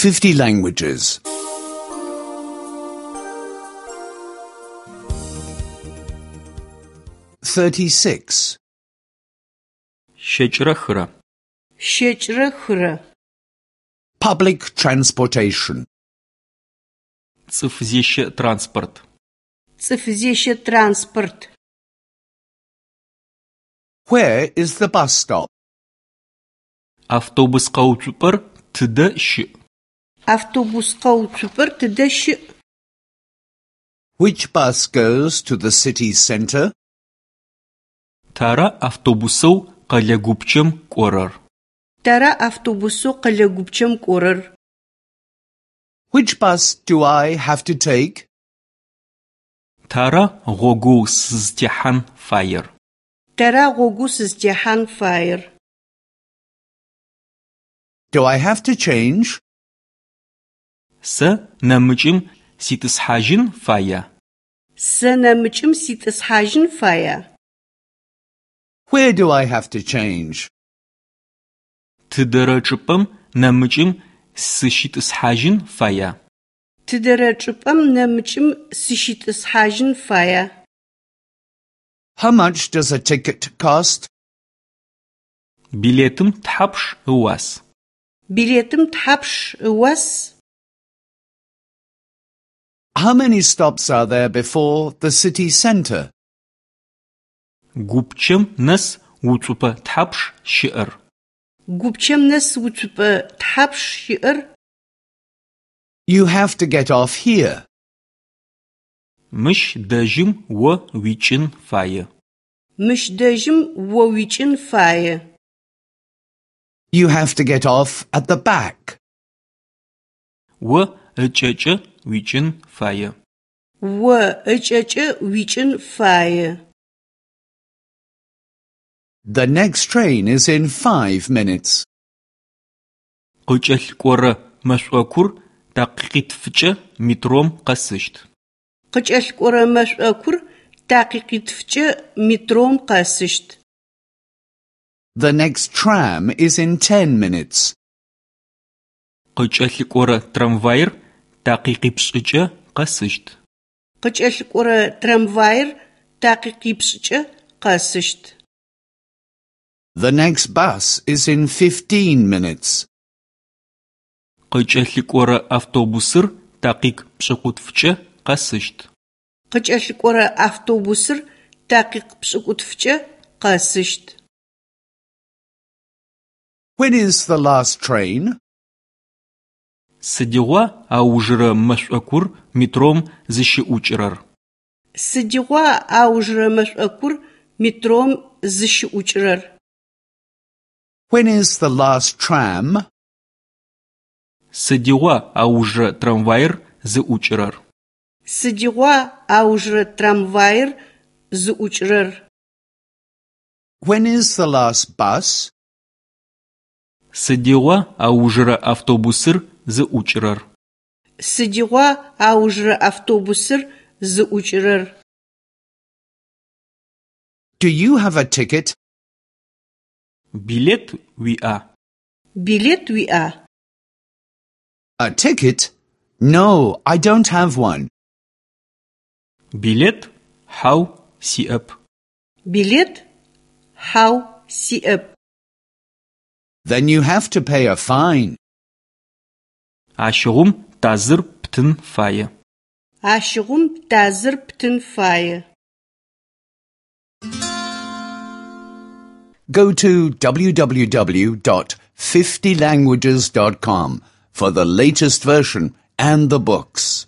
50 languages. 36. 23. 23. Public transportation. Цӏыфзещэ транспорт. Цӏыфзещэ транспорт. Where is the bus stop? Автобус къэуцупӏэр тыдэ щыӏ? Автобус къэуцупӏэр тыдэ щыӏ? Which bus goes to the city center? Тара автобусэу къэлэ гупчэм кӏорэр? Тара автобусэу къэлэ гупчэм кӏорэр? Which bus do I have to take? Тара гъогоу сызтехьан фаер? Тара гъогоу сызтехьан фаер? Do I have to change? Сэ нэмыкӏым ситӏысхьажьын фая? Сэ нэмыкӏым ситӏысхьажьын фая? Where do I have to change? Тыдэрэ чӏыпӏэм нэмыкӏым сыщитӏысхьажьын фая? Тыдэрэ чӏыпӏэм нэмыкӏым сыщитӏысхьажьын фая? How much does a ticket cost? Билетым тхьапш ыуас? Билетым тхьапш ыуас? How many stops are there before the city center? Гупчэм нэс уцупӏэ тхьапш щыӏэр? Гупчэм нэс уцупӏэ тхьапш щыӏэр? You have to get off here. Мыщ дэжьым о уикӏын фае. Мыщ дэжьым о уикӏын фае. You have to get off at the back. О ыкӏэкӏэ уикӏын фае. О ыкӏэкӏэ уикӏын фае. The next train is in 5 minutes. Къыкӏэлъыкӏорэ мэшӏокур такъикъитфыкӏэ метром къэсыщт. Къыкӏэлъыкӏорэ мэшӏокур такъикъитфыкӏэ метром къэсыщт. The next tram is in 10 minutes. Къыкӏэлъыкӏорэ трамваир такъикъипшӏыкӏэ къэсыщт. Къыкӏэлъыкӏорэ трамваир такъикъипшӏыкӏэ къэсыщт. The next bus is in 15 minutes. Къыкӏэлъыкӏорэ автобусыр такъикъ пшӏыкӏутфыкӏэ къэсыщт. Къыкӏэлъыкӏорэ автобусыр такъикъ пшӏыкӏутфыкӏэ къэсыщт. When is the last train? Сыдигъуа аужырэ мэшӏокур метром зыщыӏукӏырэр? Сыдигъуа аужырэ мэшӏокур метром зыщыӏукӏырэр? When is the last tram? Сыдигъуа аужырэ трамваир зыӏукӏырэр? Сыдигъуа аужырэ трамваир зыӏукӏырэр? When is the last bus? Сыдигъуа аужырэ автобусыр зыӏукӏырэр? Сыдигъуа аужырэ автобусыр зыӏукӏырэр? Do you have a ticket? Билет уиӏа? Билет уиӏа? A ticket? No, I don't have one. Билет? Хьау, сиӏэп. Билет? Хьау, сиӏэп. Then you have to pay a fine. Ащыгъум тазыр птын фае. Ащыгъум тазыр птын фае. Go to www.50languages.com for the latest version and the books.